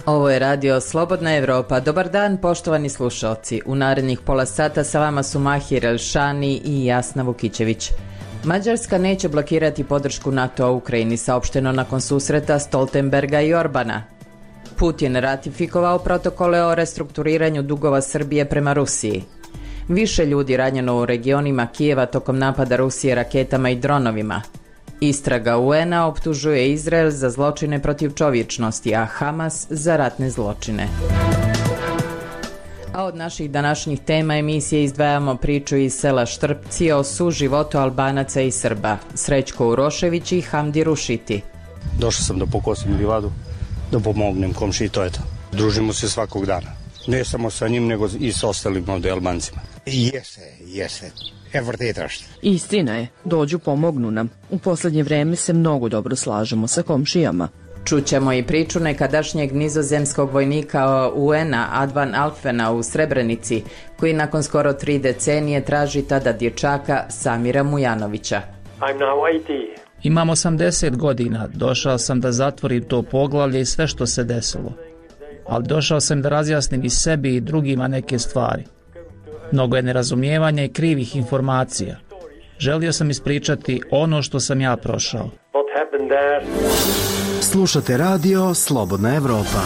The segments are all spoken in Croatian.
Ovo je radio Slobodna Evropa. Dobar dan, poštovani slušalci. U narednih pola sata sa vama su Mahir Elšani i Jasna Vukićević. Mađarska neće blokirati podršku NATO-a Ukrajini, saopšteno nakon susreta Stoltenberga i Orbana. Putin ratifikovao protokole o restrukturiranju dugova Srbije prema Rusiji. Više ljudi ranjeno u regionima Kijeva tokom napada Rusije raketama i dronovima. Istraga UN-a optužuje Izrael za zločine protiv čovječnosti, a Hamas za ratne zločine. A od naših današnjih tema emisije izdvajamo priču iz sela Štrpci o suživotu Albanaca i Srba. Srećko Urošević i Hamdi Rušiti. Došao sam da pokosim livadu, da pomognem komši i to je to. Družimo se svakog dana. Ne samo sa njim, nego i sa ostalim ovdje Albancima. Jeste. Istina je, dođu pomognu nam. U posljednje vreme se mnogo dobro slažemo sa komšijama. Čućemo i priču nekadašnjeg nizozemskog vojnika UN-a Advan Alfvena u Srebrenici, koji nakon skoro 3 decenije traži tada dječaka Samira Mujanovića. Imam 80 godina, došao sam da zatvorim to poglavlje i sve što se desilo. Ali došao sam da razjasnim i sebi i drugima neke stvari. Mnogo je nerazumijevanja i krivih informacija. Želio sam ispričati ono što sam ja prošao. Slušate radio Slobodna Evropa.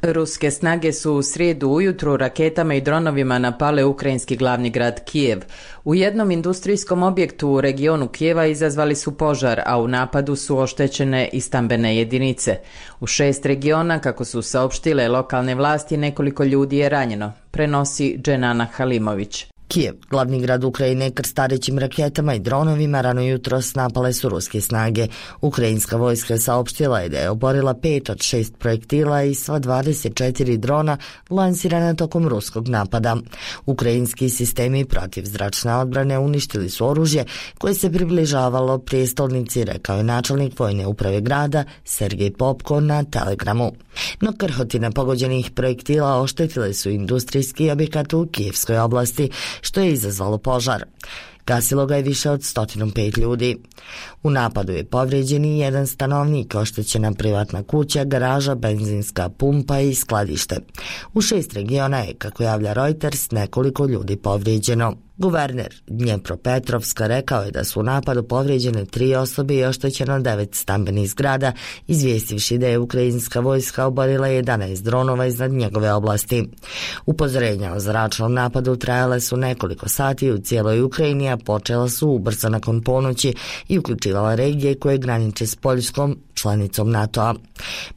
Ruske snage su u srijedu ujutru raketama i dronovima napale ukrajinski glavni grad Kijev. U jednom industrijskom objektu u regionu Kijeva izazvali su požar, a u napadu su oštećene i stambene jedinice. U 6 regiona, kako su saopštile lokalne vlasti, nekoliko ljudi je ranjeno, prenosi Dženana Halimović. Kijev, glavni grad Ukrajine, krstarećim raketama i dronovima rano jutros napale su ruske snage. Ukrajinska vojska saopštila je da je oborila 5 od 6 projektila i sva 24 drona lansirana tokom ruskog napada. Ukrajinski sistemi protivzračne odbrane uništili su oružje koje se približavalo prijestolnici, rekao je načelnik vojne uprave grada Sergej Popko na Telegramu. No krhotine pogođenih projektila oštetile su industrijski objekat u Kijevskoj oblasti, što je izazvalo požar. Gasilo ga je više od 105 ljudi. U napadu je povrijeđen i jedan stanovnik, oštećena privatna kuća, garaža, benzinska pumpa i skladište. U 6 regiona je, kako javlja Reuters, nekoliko ljudi povrijeđeno. Guverner Dnjepropetrovska rekao je da su u napadu povrijeđene 3 osobe i oštećeno 9 stambenih zgrada, izvijestivši da je ukrajinska vojska oborila 11 dronova iznad njegove oblasti. Upozorenja o zračnom napadu trajale su nekoliko sati u cijeloj Ukrajini, a počela su ubrzo nakon ponoći i uključivala regije koje graniče s Poljskom, članicom NATO-a.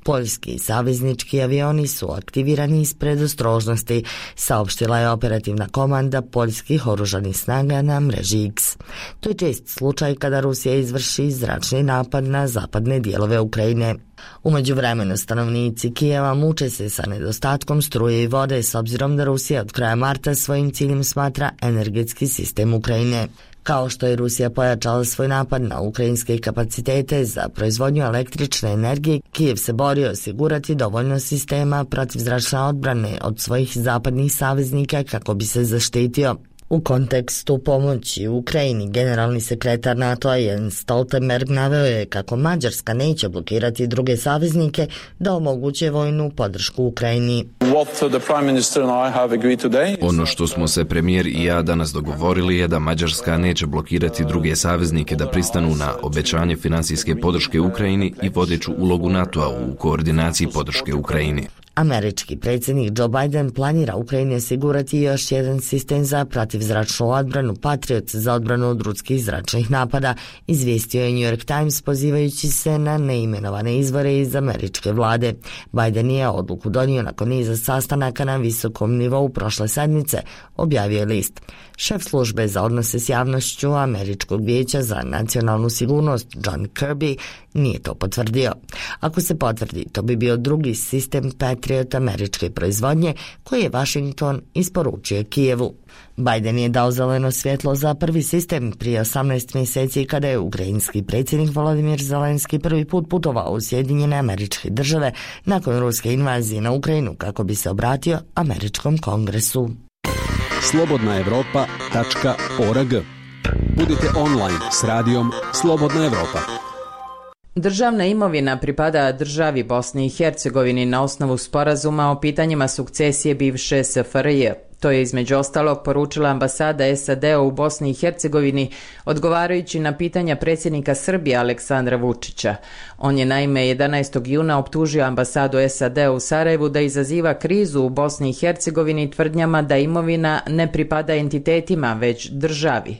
Poljski i saveznički avioni su aktivirani iz predostrožnosti, saopštila je operativna komanda poljskih oružanih snaga na mreži X. To je čest slučaj kada Rusija izvrši zračni napad na zapadne dijelove Ukrajine. U međuvremenu stanovnici Kijeva muče se sa nedostatkom struje i vode s obzirom da Rusija od kraja marta svojim ciljem smatra energetski sistem Ukrajine. Kao što je Rusija pojačala svoj napad na ukrajinske kapacitete za proizvodnju električne energije, Kijev se bori osigurati dovoljno sistema protivzračne odbrane od svojih zapadnih saveznika kako bi se zaštitio. U kontekstu pomoći Ukrajini, generalni sekretar NATO-a Jens Stoltenberg naveo je kako Mađarska neće blokirati druge saveznike da omoguće vojnu podršku Ukrajini. Ono što smo se premijer i ja danas dogovorili je da Mađarska neće blokirati druge saveznike da pristanu na obećanje financijske podrške Ukrajini i vodeću ulogu NATO-a u koordinaciji podrške Ukrajini. Američki predsjednik Joe Biden planira Ukrajini osigurati još jedan sistem za protivzračnu odbranu Patriot za odbranu od ruskih zračnih napada, izvijestio je New York Times pozivajući se na neimenovane izvore iz američke vlade. Biden je odluku donio nakon niza sastanaka na visokom nivou prošle sedmice, objavio je list. Šef službe za odnose s javnošću Američkog vijeća za nacionalnu sigurnost John Kirby nije to potvrdio. Ako se potvrdi, to bi bio drugi sistem Patriot američke proizvodnje koji je Washington isporučio Kijevu. Biden je dao zeleno svjetlo za prvi sistem prije 18 mjeseci kada je ukrajinski predsjednik Volodymyr Zelenski prvi put putovao u Sjedinjene Američke Države nakon ruske invazije na Ukrajinu kako bi se obratio američkom kongresu. slobodnaevropa.org. Budite online s radijom Slobodna Evropa. Državna imovina pripada državi Bosni i Hercegovini na osnovu sporazuma o pitanjima sukcesije bivše SFRJ. To je između ostalog poručila ambasada SAD-a u Bosni i Hercegovini odgovarajući na pitanja predsjednika Srbije Aleksandra Vučića. On je naime 11. juna optužio ambasadu SAD-a u Sarajevu da izaziva krizu u Bosni i Hercegovini tvrdnjama da imovina ne pripada entitetima već državi.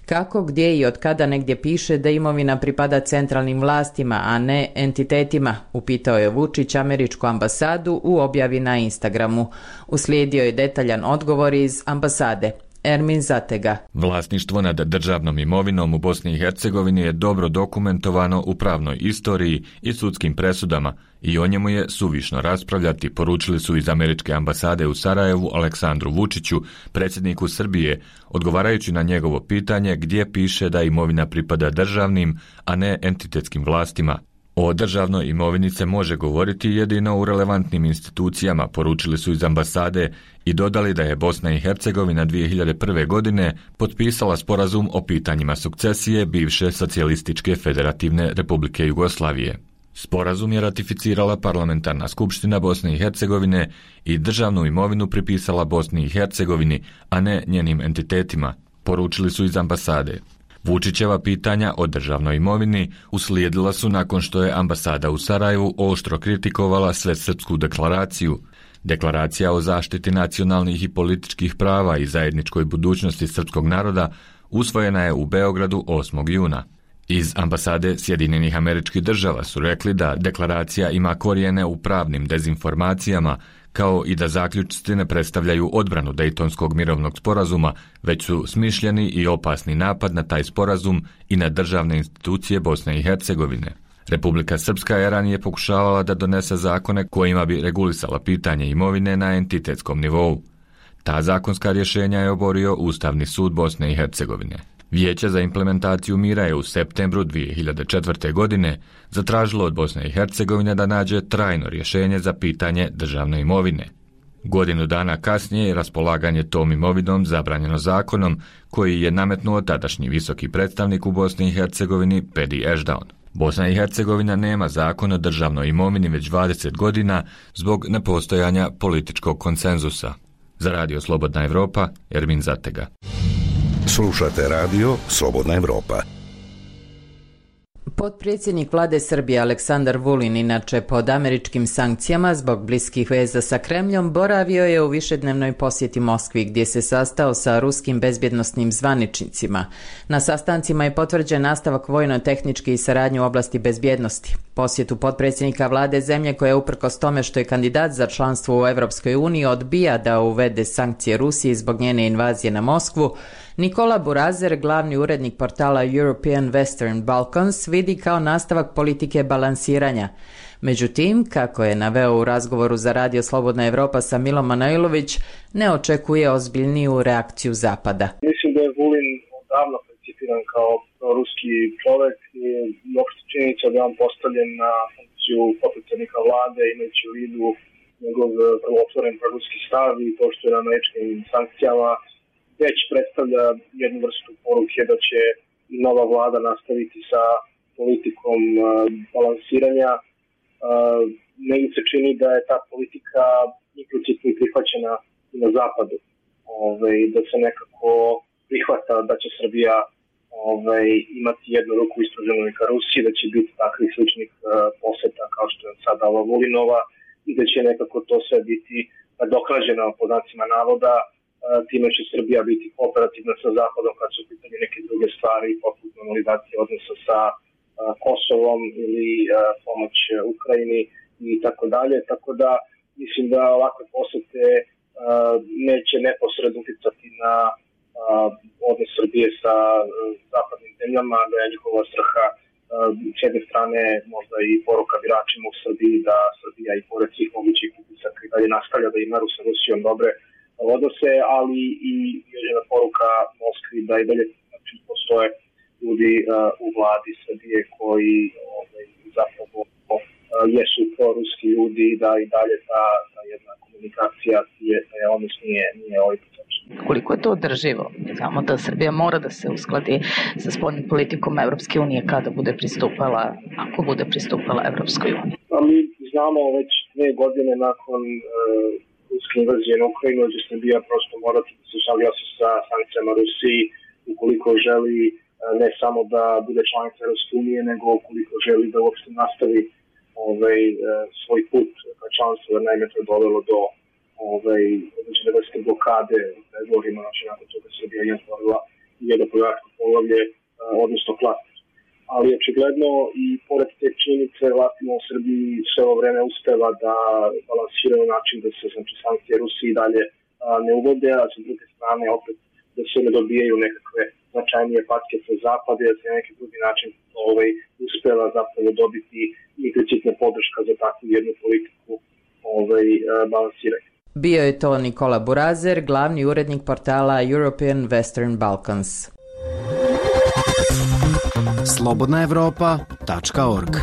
Kako, gdje i od kada negdje piše da imovina pripada centralnim vlastima, a ne entitetima, upitao je Vučić američku ambasadu u objavi na Instagramu. Uslijedio je detaljan odgovor iz ambasade. Ermin Zatega. Vlasništvo nad državnom imovinom u Bosni i Hercegovini je dobro dokumentovano u pravnoj istoriji i sudskim presudama i o njemu je suvišno raspravljati, poručili su iz američke ambasade u Sarajevu Aleksandru Vučiću, predsjedniku Srbije, odgovarajući na njegovo pitanje gdje piše da imovina pripada državnim, a ne entitetskim vlastima. O državnoj imovini se može govoriti jedino u relevantnim institucijama, poručili su iz ambasade i dodali da je Bosna i Hercegovina 2001. godine potpisala sporazum o pitanjima sukcesije bivše Socijalističke federativne Republike Jugoslavije. Sporazum je ratificirala parlamentarna skupština Bosne i Hercegovine i državnu imovinu pripisala Bosni i Hercegovini, a ne njenim entitetima, poručili su iz ambasade. Vučićeva pitanja o državnoj imovini uslijedila su nakon što je ambasada u Sarajevu oštro kritikovala Svesrpsku deklaraciju. Deklaracija o zaštiti nacionalnih i političkih prava i zajedničkoj budućnosti srpskog naroda usvojena je u Beogradu 8. juna. Iz ambasade Sjedinjenih Američkih Država su rekli da deklaracija ima korijene u pravnim dezinformacijama, kao i da zaključci ne predstavljaju odbranu Dejtonskog mirovnog sporazuma, već su smišljeni i opasni napad na taj sporazum i na državne institucije Bosne i Hercegovine. Republika Srpska je ranije pokušavala da donese zakone kojima bi regulisala pitanje imovine na entitetskom nivou. Ta zakonska rješenja je oborio Ustavni sud Bosne i Hercegovine. Vijeće za implementaciju mira je u septembru 2004. godine zatražilo od Bosne i Hercegovine da nađe trajno rješenje za pitanje državne imovine. Godinu dana kasnije je raspolaganje tom imovinom zabranjeno zakonom koji je nametnuo tadašnji visoki predstavnik u Bosni i Hercegovini Pedi Ešdaun. Bosna i Hercegovina nema zakon o državnoj imovini već 20 godina zbog nepostojanja političkog konsenzusa. Za Radio Slobodna Evropa, Ermin Zatega. Slušate radio Slobodna Evropa. Potpredsjednik vlade Srbije Aleksandar Vulin, inače pod američkim sankcijama zbog bliskih veza sa Kremljom, boravio je u višednevnoj posjeti Moskvi gdje se sastao sa ruskim bezbjednosnim zvaničnicima. Na sastancima je potvrđen nastavak vojno-tehničke i saradnje u oblasti bezbjednosti. Posjetu potpredsjednika vlade zemlje koja uprkos tome što je kandidat za članstvo u Europskoj uniji odbija da uvede sankcije Rusiji zbog njene invazije na Moskvu, Nikola Burazer, glavni urednik portala European Western Balkans, vidi kao nastavak politike balansiranja. Međutim, kako je naveo u razgovoru za Radio Slobodna Evropa sa Milom Manojlović, ne očekuje ozbiljniju reakciju Zapada. Mislim da je Vulin davno percipiran kao ruski čovjek i uopšte činjenica da je on postavljen na funkciju potpredsjednika vlade, imajući u vidu njegov vrlo otvoren proruski stav i to što je na američkim sankcijama već predstavlja jednu vrstu poruke da će nova vlada nastaviti sa politikom balansiranja. Negdje se čini da je ta politika implicitno prihvaćena i na zapadu. Da se nekako prihvata da će Srbija imati jednu ruku ispruženu ka Rusiji, da će biti takvih sličnih poseta kao što je sada ova Vulinova i da će nekako to sve biti nadoknađeno po znacima navoda. Time će Srbija biti kooperativna sa Zapadom kad su u pitanju neke druge stvari, poput normalizacije odnosa sa Kosovom ili pomoć Ukrajini i tako dalje. Tako da mislim da ovakve posete neće neposredno uticati na odnos Srbije sa zapadnim zemljama, da je njihova svrha s jedne strane možda i poruka biračima u Srbiji da Srbija i pored svih mogućih utisaka i dalje nastavlja da ima sa Rusijom dobre odnose, ali i jedna poruka Moskvi da i dalje postoje ljudi u vladi Srbije koji zapravo jesu proruski ljudi, da i dalje ta jedna komunikacija je odnos nije ovaj proces. koliko je to održivo. Znamo da Srbija mora da se uskladi sa spoljnom politikom Evropske unije kada bude pristupala, ako bude pristupala Evropskoj uniji. Mi znamo već 2 godine nakon ruske invazije na Ukrajinu da će Srbija prosto morati da se saglasi sa sankcijama Rusiji ukoliko želi ne samo da bude članica Evropske unije, nego ukoliko želi da uopšte nastavi svoj put ka članstvu, jer naime to je dovelo do određene vrste blokade u pregovorima, znači nakon toga Srbija je otvorila jedno pregovaračko poglavlje, odnosno klaster. Ali očigledno i pored te činjenice vlastima u Srbiji sve ovo vreme uspeva da balansiraju način da se sankcije Rusiji dalje ne uvode, a sa druge strane opet da se ne dobijaju nekakve značajnije patke sa zapada, da se na neki drugi način uspeva zapravo dobiti implicitna podrška za takvu jednu politiku balansiranja. Bio je to Nikola Burazer, glavni urednik portala European Western Balkans. slobodnaevropa.org.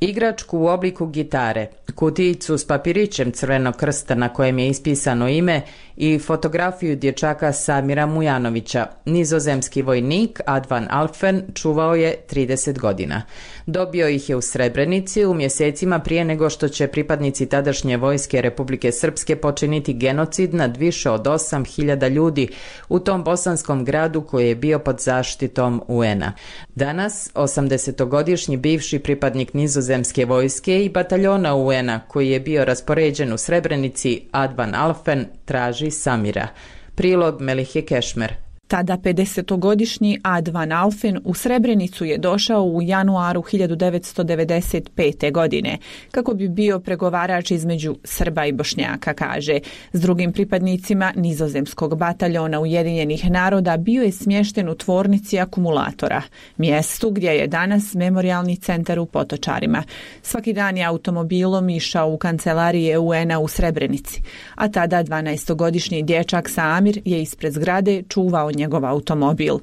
Igračku u obliku gitare, kutijicu s papirićem Crvenog krsta na kojem je ispisano ime i fotografiju dječaka Samira Mujanovića, nizozemski vojnik Ad van Alphen čuvao je 30 godina. Dobio ih je u Srebrenici u mjesecima prije nego što će pripadnici tadašnje vojske Republike Srpske počiniti genocid nad više od 8.000 ljudi u tom bosanskom gradu koji je bio pod zaštitom UN-a. Danas, 80-godišnji bivši pripadnik nizozemske vojske i bataljona UN-a koji je bio raspoređen u Srebrenici, Ad van Alphen, traži Samira. Prilog Melihje Kešmer. Tada 50-godišnji Ad van Alphen u Srebrenicu je došao u januaru 1995. godine, kako bi bio pregovarač između Srba i Bošnjaka, kaže. S drugim pripadnicima nizozemskog bataljona Ujedinjenih naroda bio je smješten u tvornici akumulatora, mjestu gdje je danas memorijalni centar u Potočarima. Svaki dan je automobilom išao u kancelarije UN-a u Srebrenici, a tada 12-godišnji dječak Samir je ispred zgrade čuvao njegov automobil.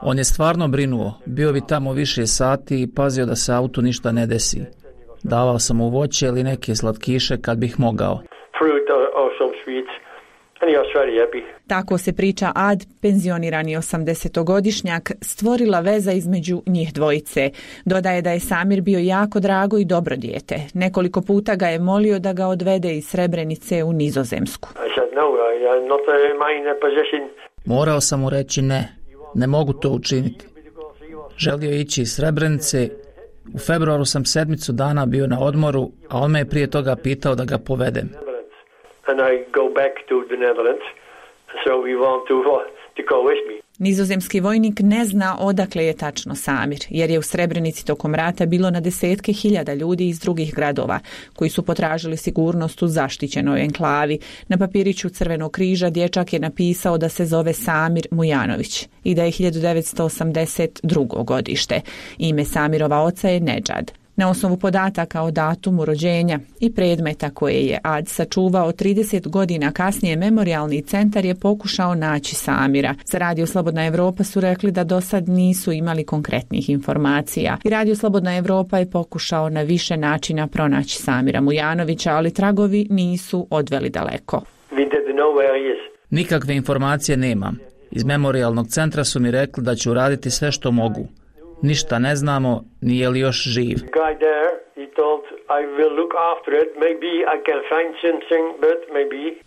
On je stvarno brinuo, bio bi tamo više sati i pazio da se autu ništa ne desi. Davao sam mu voće ili neke slatkiše kad bih mogao. Tako se priča Ad, penzionirani 80-godišnjak, stvorila veza između njih dvojice. Dodaje da je Samir bio jako drago i dobro dijete. Nekoliko puta ga je molio da ga odvede iz Srebrenice u Nizozemsku. Morao sam mu reći ne mogu to učiniti. Želio je ići iz Srebrenice. U februaru sam 7 dana bio na odmoru, a on me je prije toga pitao da ga povedem. Nizozemski vojnik ne zna odakle je tačno Samir, jer je u Srebrenici tokom rata bilo na desetke hiljada ljudi iz drugih gradova, koji su potražili sigurnost u zaštićenoj enklavi. Na papiriću Crvenog križa dječak je napisao da se zove Samir Mujanović i da je 1982. godište. Ime Samirova oca je Nedžad. Na osnovu podataka o datumu rođenja i predmeta koje je Ad sačuvao 30 godina kasnije, memorijalni centar je pokušao naći Samira. Za Radio Slobodna Evropa su rekli da do sad nisu imali konkretnih informacija. I Radio Slobodna Evropa je pokušao na više načina pronaći Samira Mujanovića, ali tragovi nisu odveli daleko. Nikakve informacije nemam. Iz memorijalnog centra su mi rekli da ću raditi sve što mogu. Ništa ne znamo, nije li još živ.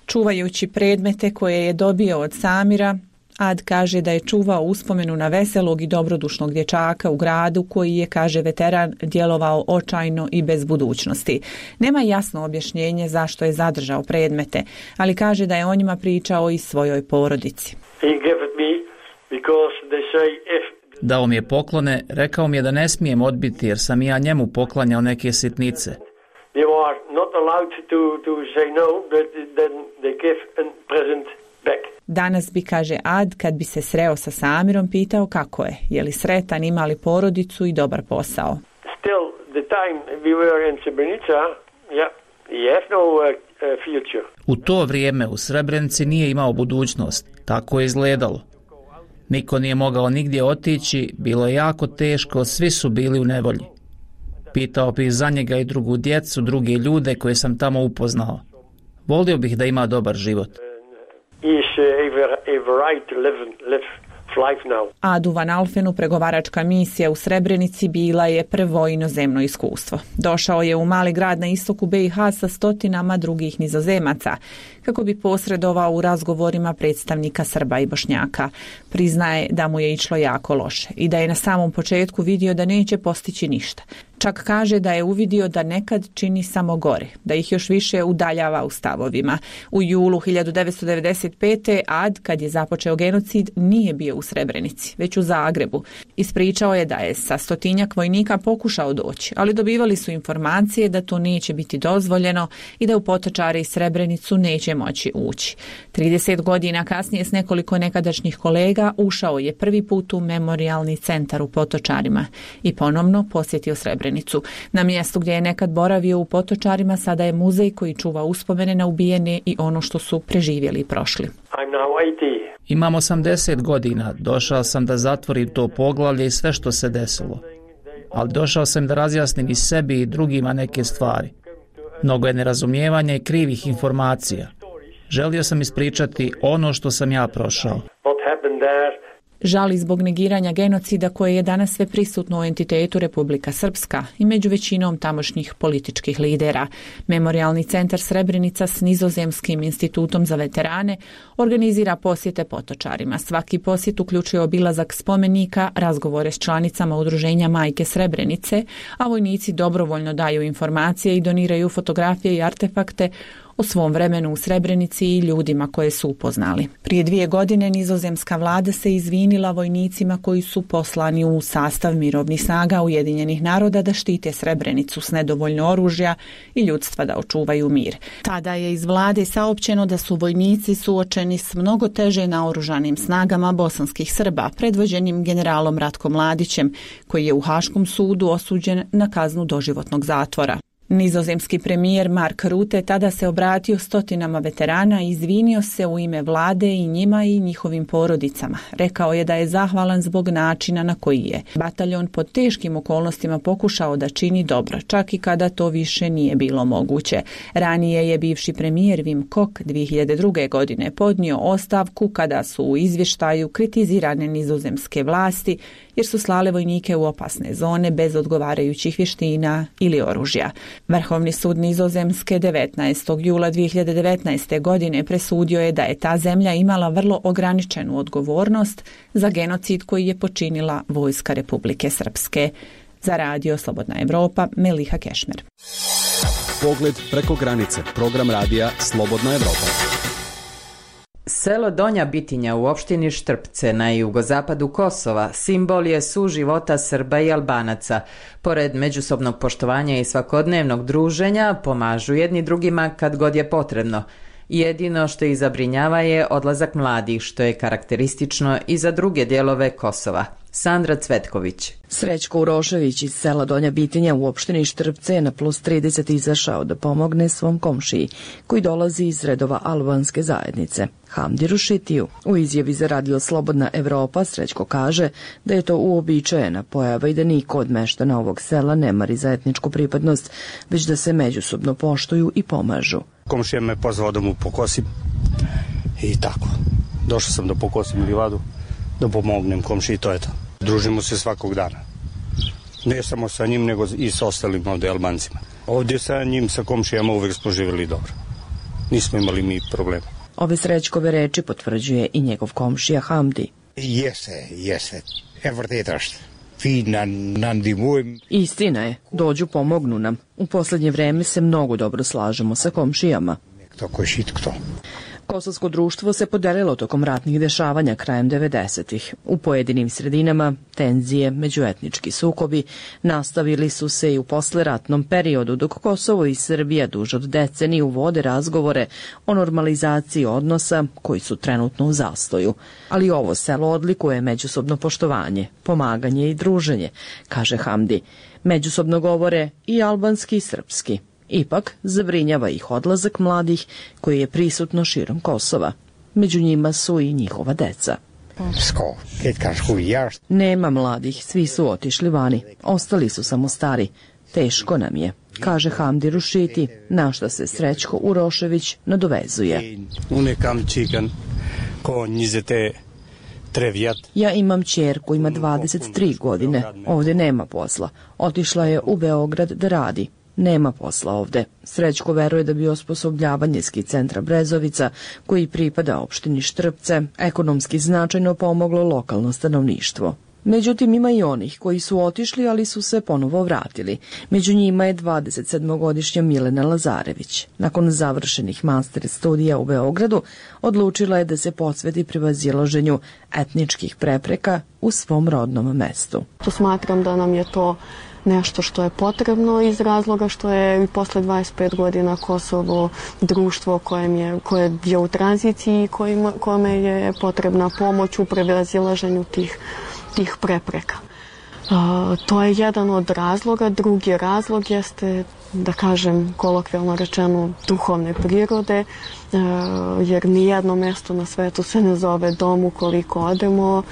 Čuvajući predmete koje je dobio od Samira, Ad kaže da je čuvao uspomenu na veselog i dobrodušnog dječaka u gradu koji je, kaže veteran, djelovao očajno i bez budućnosti. Nema jasno objašnjenje zašto je zadržao predmete, ali kaže da je o njima pričao i svojoj porodici. Dao mi je poklone, rekao mi je da ne smijem odbiti jer sam ja njemu poklanjao neke sitnice. Danas bi, kaže Ad, kad bi se sreo sa Samirom, pitao kako je li sretan, ima li porodicu i dobar posao. U to vrijeme u Srebrenici nije imao budućnost, tako je izgledalo. Niko nije mogao nigdje otići, bilo je jako teško, svi su bili u nevolji. Pitao bih za njega i drugu djecu, druge ljude koje sam tamo upoznao. Volio bih da ima dobar život. Adu Van Alfenu pregovaračka misija u Srebrenici bila je prvo inozemno iskustvo. Došao je u mali grad na istoku BiH sa stotinama drugih Nizozemaca kako bi posredovao u razgovorima predstavnika Srba i Bošnjaka. Priznaje da mu je išlo jako loše i da je na samom početku vidio da neće postići ništa. Čak kaže da je uvidio da nekad čini samo gore, da ih još više udaljava u stavovima. U julu 1995. Ad, kad je započeo genocid, nije bio u Srebrenici, već u Zagrebu. Ispričao je da je sa 100-tinjak vojnika pokušao doći, ali dobivali su informacije da to neće biti dozvoljeno i da u Potočare i Srebrenicu neće moći ući. 30 godina kasnije s nekoliko nekadašnjih kolega ušao je prvi put u memorijalni centar u Potočarima i ponovno posjetio Srebrenicu. Na mjestu gdje je nekad boravio u Potočarima sada je muzej koji čuva uspomene na ubijene i ono što su preživjeli i prošli. Imam 80 godina, došao sam da zatvorim to poglavlje i sve što se desilo. Ali došao sam da razjasnim i sebi i drugima neke stvari. Mnogo je nerazumijevanja i krivih informacija. Želio sam ispričati ono što sam ja prošao. Žali zbog negiranja genocida koje je danas sve prisutno u entitetu Republika Srpska i među većinom tamošnjih političkih lidera. Memorijalni centar Srebrenica s Nizozemskim institutom za veterane organizira posjete Potočarima. Svaki posjet uključuje obilazak spomenika, razgovore s članicama udruženja Majke Srebrenice, a vojnici dobrovoljno daju informacije i doniraju fotografije i artefakte o svom vremenu u Srebrenici i ljudima koje su upoznali. Prije 2 godine nizozemska vlada se izvinila vojnicima koji su poslani u sastav mirovnih snaga Ujedinjenih naroda da štite Srebrenicu s nedovoljno oružja i ljudstva da očuvaju mir. Tada je iz vlade saopćeno da su vojnici suočeni s mnogo teže naoružanim snagama bosanskih Srba, predvođenim generalom Ratkom Mladićem, koji je u Haškom sudu osuđen na kaznu doživotnog zatvora. Nizozemski premijer Mark Rutte tada se obratio stotinama veterana i izvinio se u ime vlade i njima i njihovim porodicama. Rekao je da je zahvalan zbog načina na koji je bataljon pod teškim okolnostima pokušao da čini dobro, čak i kada to više nije bilo moguće. Ranije je bivši premijer Wim Kok 2002. godine podnio ostavku kada su u izvještaju kritizirane nizozemske vlasti jer su slale vojnike u opasne zone bez odgovarajućih vještina ili oružja. Vrhovni sud Nizozemske 19. jula 2019. godine presudio je da je ta zemlja imala vrlo ograničenu odgovornost za genocid koji je počinila vojska Republike Srpske. Za radio Slobodna Evropa, Meliha Kešmer. Pogled preko granice, program radija Slobodna Evropa. Selo Donja Bitinja u opštini Štrpce na jugozapadu Kosova simbol je suživota Srba i Albanaca. Pored međusobnog poštovanja i svakodnevnog druženja pomažu jedni drugima kad god je potrebno. Jedino što ih zabrinjava je odlazak mladih, što je karakteristično i za druge dijelove Kosova. Sandra Cvetković. Srećko Urošević iz sela Donja Bitinja u opštini Štrpce je na +30 izašao da pomogne svom komšiji, koji dolazi iz redova albanske zajednice, Hamdi Rušitiju. U izjavi za radio Slobodna Evropa Srećko kaže da je to uobičajena pojava i da niko od meštana ovog sela ne mari za etničku pripadnost, već da se međusobno poštuju i pomažu. Komšija me pozvao da mu pokosim i tako. Došao sam da pokosim livadu, da pomognem komšiji, to je to. Družimo se svakog dana. Ne samo sa njim, nego i sa ostalim ovdje Albancima. Ovdje sa njim, sa komšijama uvek smo živjeli dobro. Nismo imali mi problema. Ove Srećkove reči potvrđuje i njegov komšija Hamdi. Jeste. Istina je, dođu pomognu nam. U posljednje vreme se mnogo dobro slažemo sa komšijama. Kosovsko društvo se podelilo tokom ratnih dešavanja krajem 90-ih. U pojedinim sredinama tenzije, međuetnički sukobi nastavili su se i u posleratnom periodu, dok Kosovo i Srbija duže od deceniju vode razgovore o normalizaciji odnosa koji su trenutno u zastoju. Ali ovo selo odlikuje međusobno poštovanje, pomaganje i druženje, kaže Hamdi. Međusobno govore i albanski i srpski. Ipak zabrinjava ih odlazak mladih koji je prisutno širom Kosova. Među njima su i njihova deca. Nema Nema mladih, svi su otišli vani. Ostali su samo stari. Teško nam je, kaže Hamdi Rušiti, na šta se Srećko Urošević nadovezuje. Ja imam ćerku, ima 23 godine, ovdje nema posla. Otišla je u Beograd da radi. Nema posla ovde. Srećko veruje da bi osposobljavanje ski centra Brezovica, koji pripada opštini Štrpce, ekonomski značajno pomoglo lokalno stanovništvo. Međutim, ima i onih koji su otišli, ali su se ponovo vratili. Među njima je 27-godišnja Milena Lazarević. Nakon završenih master studija u Beogradu, odlučila je da se posveti prevazilaženju etničkih prepreka u svom rodnom mestu. Smatram da nam je to nešto što je potrebno iz razloga što je i posle 25 godina Kosovo društvo koje je u tranziciji i kome je potrebna pomoć u prevazilaženju tih prepreka. To je jedan od razloga. Drugi razlog jeste, da kažem kolokvijalno rečeno, duhovne prirode, jer nijedno mesto na svetu se ne zove dom ukoliko odemo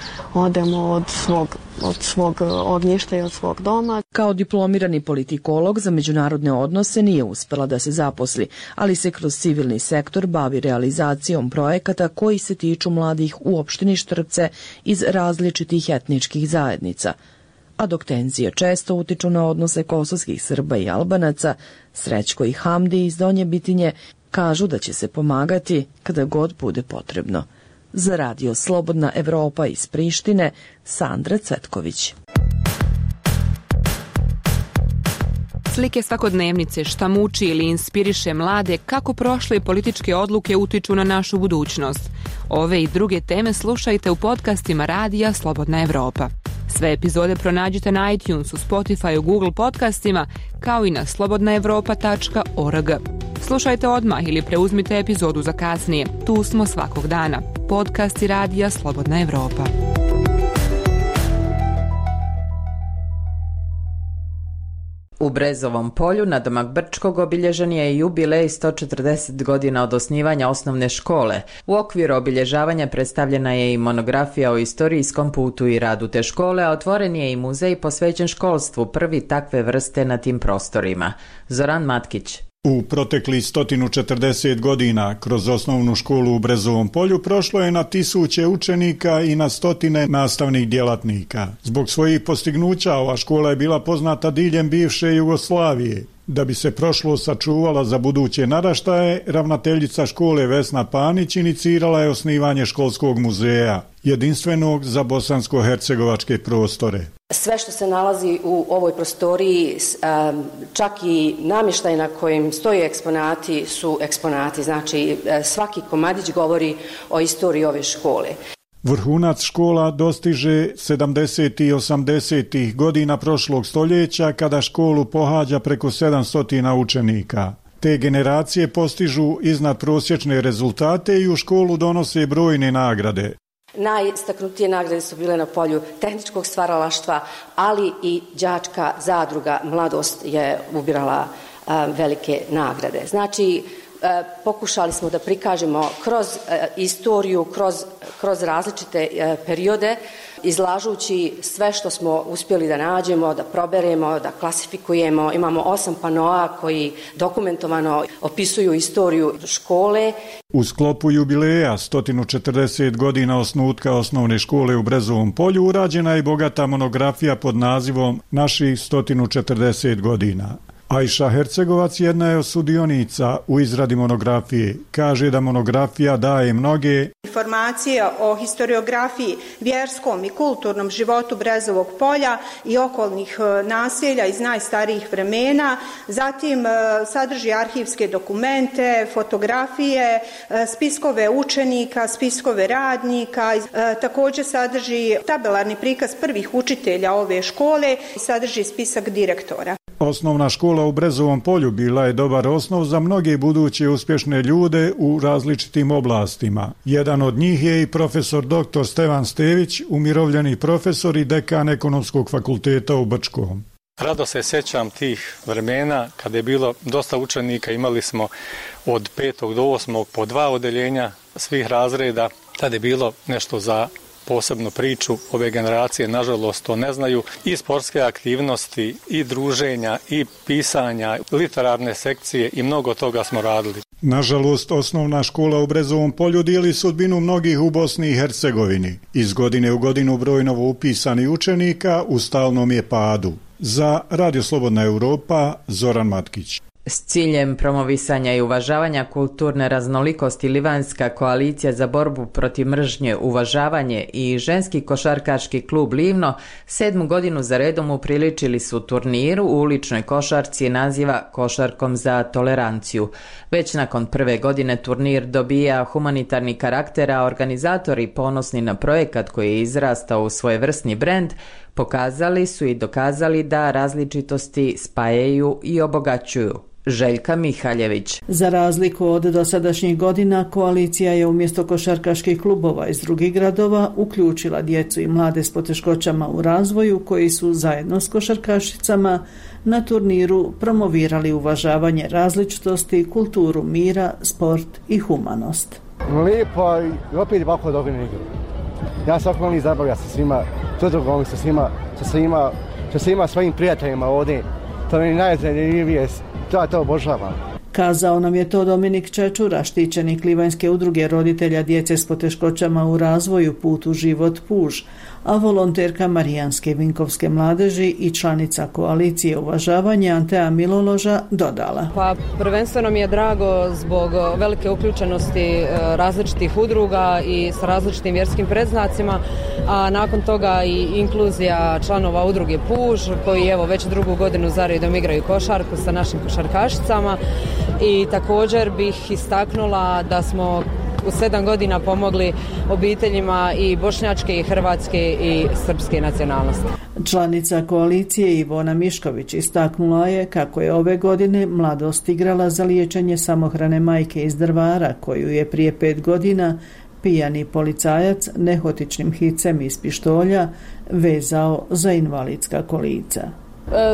od svog ognjišta i od svog doma. Kao diplomirani politikolog za međunarodne odnose nije uspela da se zaposli, ali se kroz civilni sektor bavi realizacijom projekata koji se tiču mladih u opštini Štrpce iz različitih etničkih zajednica. A dok tenzije često utiču na odnose kosovskih Srba i Albanaca, Srećko i Hamdi iz Donje Bitinje kažu da će se pomagati kada god bude potrebno. Za radio Slobodna Evropa iz Prištine, Sandra Cvetković. Slike svakodnevnice, šta muči ili inspiriše mlade, kako prošle političke odluke utiču na našu budućnost. Ove i druge teme slušajte u podcastima radija Slobodna Evropa. Sve epizode pronađite na iTunesu, Spotifyu, Google podcastima, kao i na slobodnaevropa.org. Slušajte odmah ili preuzmite epizodu za kasnije. Tu smo svakog dana. Podcasti radija Slobodna Evropa. U Brezovom polju, nadomak Brčkog, obilježen je jubilej 140 godina od osnivanja osnovne škole. U okviru obilježavanja predstavljena je i monografija o istorijskom putu i radu te škole, a otvoren je i muzej posvećen školstvu, prvi takve vrste na tim prostorima. Zoran Matkić. U proteklih 140 godina kroz osnovnu školu u Brezovom polju prošlo je na tisuće učenika i na stotine nastavnih djelatnika. Zbog svojih postignuća ova škola je bila poznata diljem bivše Jugoslavije. Da bi se prošlost sačuvala za buduće naraštaje, ravnateljica škole Vesna Panić inicirala je osnivanje školskog muzeja, jedinstvenog za bosansko-hercegovačke prostore. Sve što se nalazi u ovoj prostoriji, čak i namještaj na kojim stoje eksponati su eksponati, znači svaki komadić govori o istoriji ove škole. Vrhunac škola dostiže 70. i 80. godina prošlog stoljeća kada školu pohađa preko 700 učenika. Te generacije postižu iznad prosječne rezultate i u školu donose brojne nagrade. Najistaknutije nagrade su bile na polju tehničkog stvaralaštva, ali i đačka zadruga Mladost je ubirala velike nagrade. Znači, pokušali smo da prikažemo kroz istoriju, kroz različite periode, izlažući sve što smo uspjeli da nađemo, da proberemo, da klasifikujemo. Imamo 8 panoa koji dokumentovano opisuju istoriju škole. U sklopu jubileja 140 godina osnutka osnovne škole u Brezovom polju urađena je bogata monografija pod nazivom Naših 140 godina. Ajša Hercegovac jedna je od sudionica u izradi monografije. Kaže da monografija daje mnoge informacije o historiografiji, vjerskom i kulturnom životu Brezovog polja i okolnih naselja iz najstarijih vremena. Zatim sadrži arhivske dokumente, fotografije, spiskove učenika, spiskove radnika. Također sadrži tabelarni prikaz prvih učitelja ove škole i sadrži spisak direktora. Osnovna škola u Brezovom polju bila je dobar osnov za mnoge buduće uspješne ljude u različitim oblastima. Jedan od njih je i profesor dr. Stevan Stević, umirovljeni profesor i dekan Ekonomskog fakulteta u Brčkom. Rado se sjećam tih vremena kada je bilo dosta učenika, imali smo od 5. do 8. po 2 odeljenja svih razreda. Tada je bilo nešto za posebnu priču. Ove generacije, nažalost, to ne znaju. I sportske aktivnosti, i druženja, i pisanja, literarne sekcije i mnogo toga smo radili. Nažalost, osnovna škola u Brezovom Polju dijeli sudbinu mnogih u Bosni i Hercegovini. Iz godine u godinu broj novoupisanih učenika u stalnom je padu. Za Radio Slobodna Europa, Zoran Matkić. S ciljem promovisanja i uvažavanja kulturne raznolikosti Livanjska koalicija za borbu protiv mržnje, uvažavanje i ženski košarkaški klub Livno 7. godinu za redom upriličili su turniru u uličnoj košarci naziva Košarkom za toleranciju. Već nakon prve godine turnir dobija humanitarni karakter, a organizatori ponosni na projekat koji je izrastao u svojevrsni brend pokazali su i dokazali da različitosti spajaju i obogaćuju. Željka Mihaljević. Za razliku od dosadašnjih godina, koalicija je umjesto košarkaških klubova iz drugih gradova uključila djecu i mlade s poteškoćama u razvoju koji su zajedno s košarkašicama na turniru promovirali uvažavanje različitosti, kulturu mira, sport i humanost. Lijepo i opet ovako dobro igru. Ja sam okolo zabavlja sa svima, tudrugom sa svima svojim prijateljima ovdje. To mi je najzanimljivije. To obožavam. Kazao nam je to Dominik Čečura, štićenik Livanjske udruge roditelja djece s poteškoćama u razvoju Put u život Puž, a volonterka Marijanske Vinkovske mladeži i članica koalicije uvažavanja Antea Miloloža dodala. Pa prvenstveno mi je drago zbog velike uključenosti različitih udruga i sa različitim vjerskim predznacima, a nakon toga i inkluzija članova udruge Puž koji evo već drugu godinu za redom igraju košarku sa našim košarkašicama. I također bih istaknula da smo u 7 godina pomogli obiteljima i bošnjačke i hrvatske i srpske nacionalnosti. Članica koalicije Ivona Mišković istaknula je kako je ove godine mladost igrala za liječenje samohrane majke iz Drvara koju je prije 5 godina pijani policajac nehotičnim hicem iz pištolja vezao za invalidska kolica.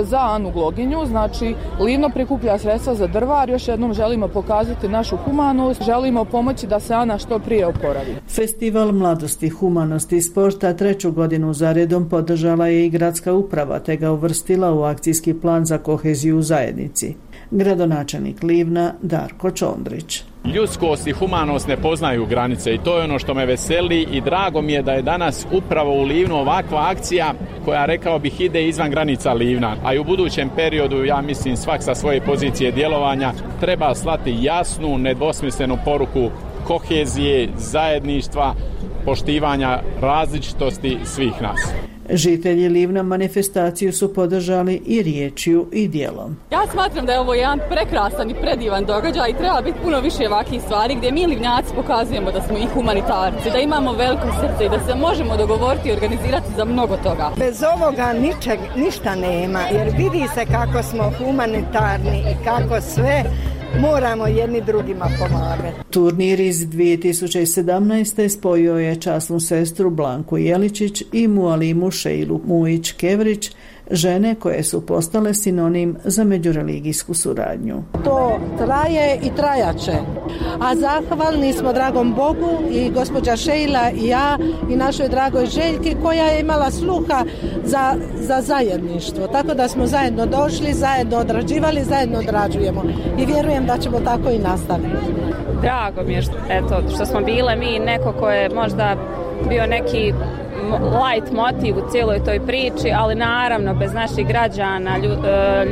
Za Anu Gloginju, znači Livno prikuplja sredstva za Drvar, još jednom želimo pokazati našu humanost, želimo pomoći da se Ana što prije oporavi. Festival mladosti, humanosti i sporta 3. godinu za redom podržala je i gradska uprava, te ga uvrstila u akcijski plan za koheziju u zajednici. Gradonačelnik Livna Darko Čondrić. Ljudskost i humanost ne poznaju granice i to je ono što me veseli i drago mi je da je danas upravo u Livnu ovakva akcija koja, rekao bih, ide izvan granica Livna, a i u budućem periodu, ja mislim, svak sa svoje pozicije djelovanja treba slati jasnu, nedvosmislenu poruku kohezije, zajedništva, poštivanja različitosti svih nas. Žitelji Livna manifestaciju su podržali i riječju i djelom. Ja smatram da je ovo jedan prekrasan i predivan događaj i treba biti puno više ovakvih stvari gdje mi Livnjaci pokazujemo da smo i humanitarci, da imamo veliko srce i da se možemo dogovoriti i organizirati za mnogo toga. Bez ovoga ništa nema, jer vidi se kako smo humanitarni i kako sve moramo jedni drugima pomagati. Turnir iz 2017. spojio je časnu sestru Blanku Jeličić i Mualimu Šeilu Mujić-Kevrić, žene koje su postale sinonim za međureligijsku suradnju. To traje i trajaće, a zahvalni smo dragom Bogu i gospođa Šejla i ja i našoj dragoj Željki koja je imala sluha za zajedništvo, tako da smo zajedno došli, zajedno odrađivali, zajedno odrađujemo i vjerujem da ćemo tako i nastaviti. Drago mi je što smo bile mi neko ko je možda bio neki light motiv u cijeloj toj priči, ali naravno bez naših građana,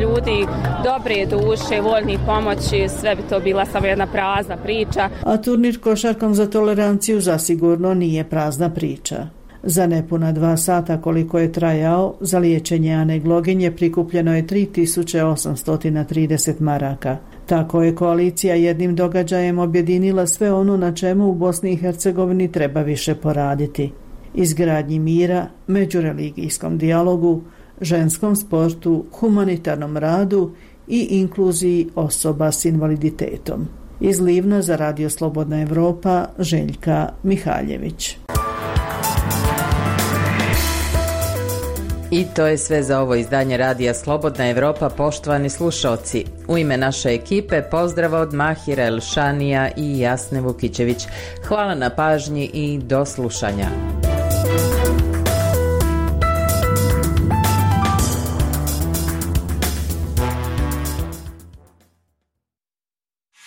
ljudi dobre duše, voljni pomoći, sve bi to bila samo jedna prazna priča. A turnir Košarkom za toleranciju zasigurno nije prazna priča. Za nepuna 2 sata koliko je trajao, za liječenje Ane Gloginje prikupljeno je 3830 maraka. Tako je koalicija jednim događajem objedinila sve ono na čemu u Bosni i Hercegovini treba više poraditi. Izgradnji mira, međureligijskom dijalogu, ženskom sportu, humanitarnom radu i inkluziji osoba s invaliditetom. Iz Livna za Radio Slobodna Europa, Željka Mihaljević. I to je sve za ovo izdanje Radija Slobodna Europa, poštovani slušalci. U ime naše ekipe pozdrav od Mahira Elšanija i Jasne Vukićević. Hvala na pažnji i do slušanja.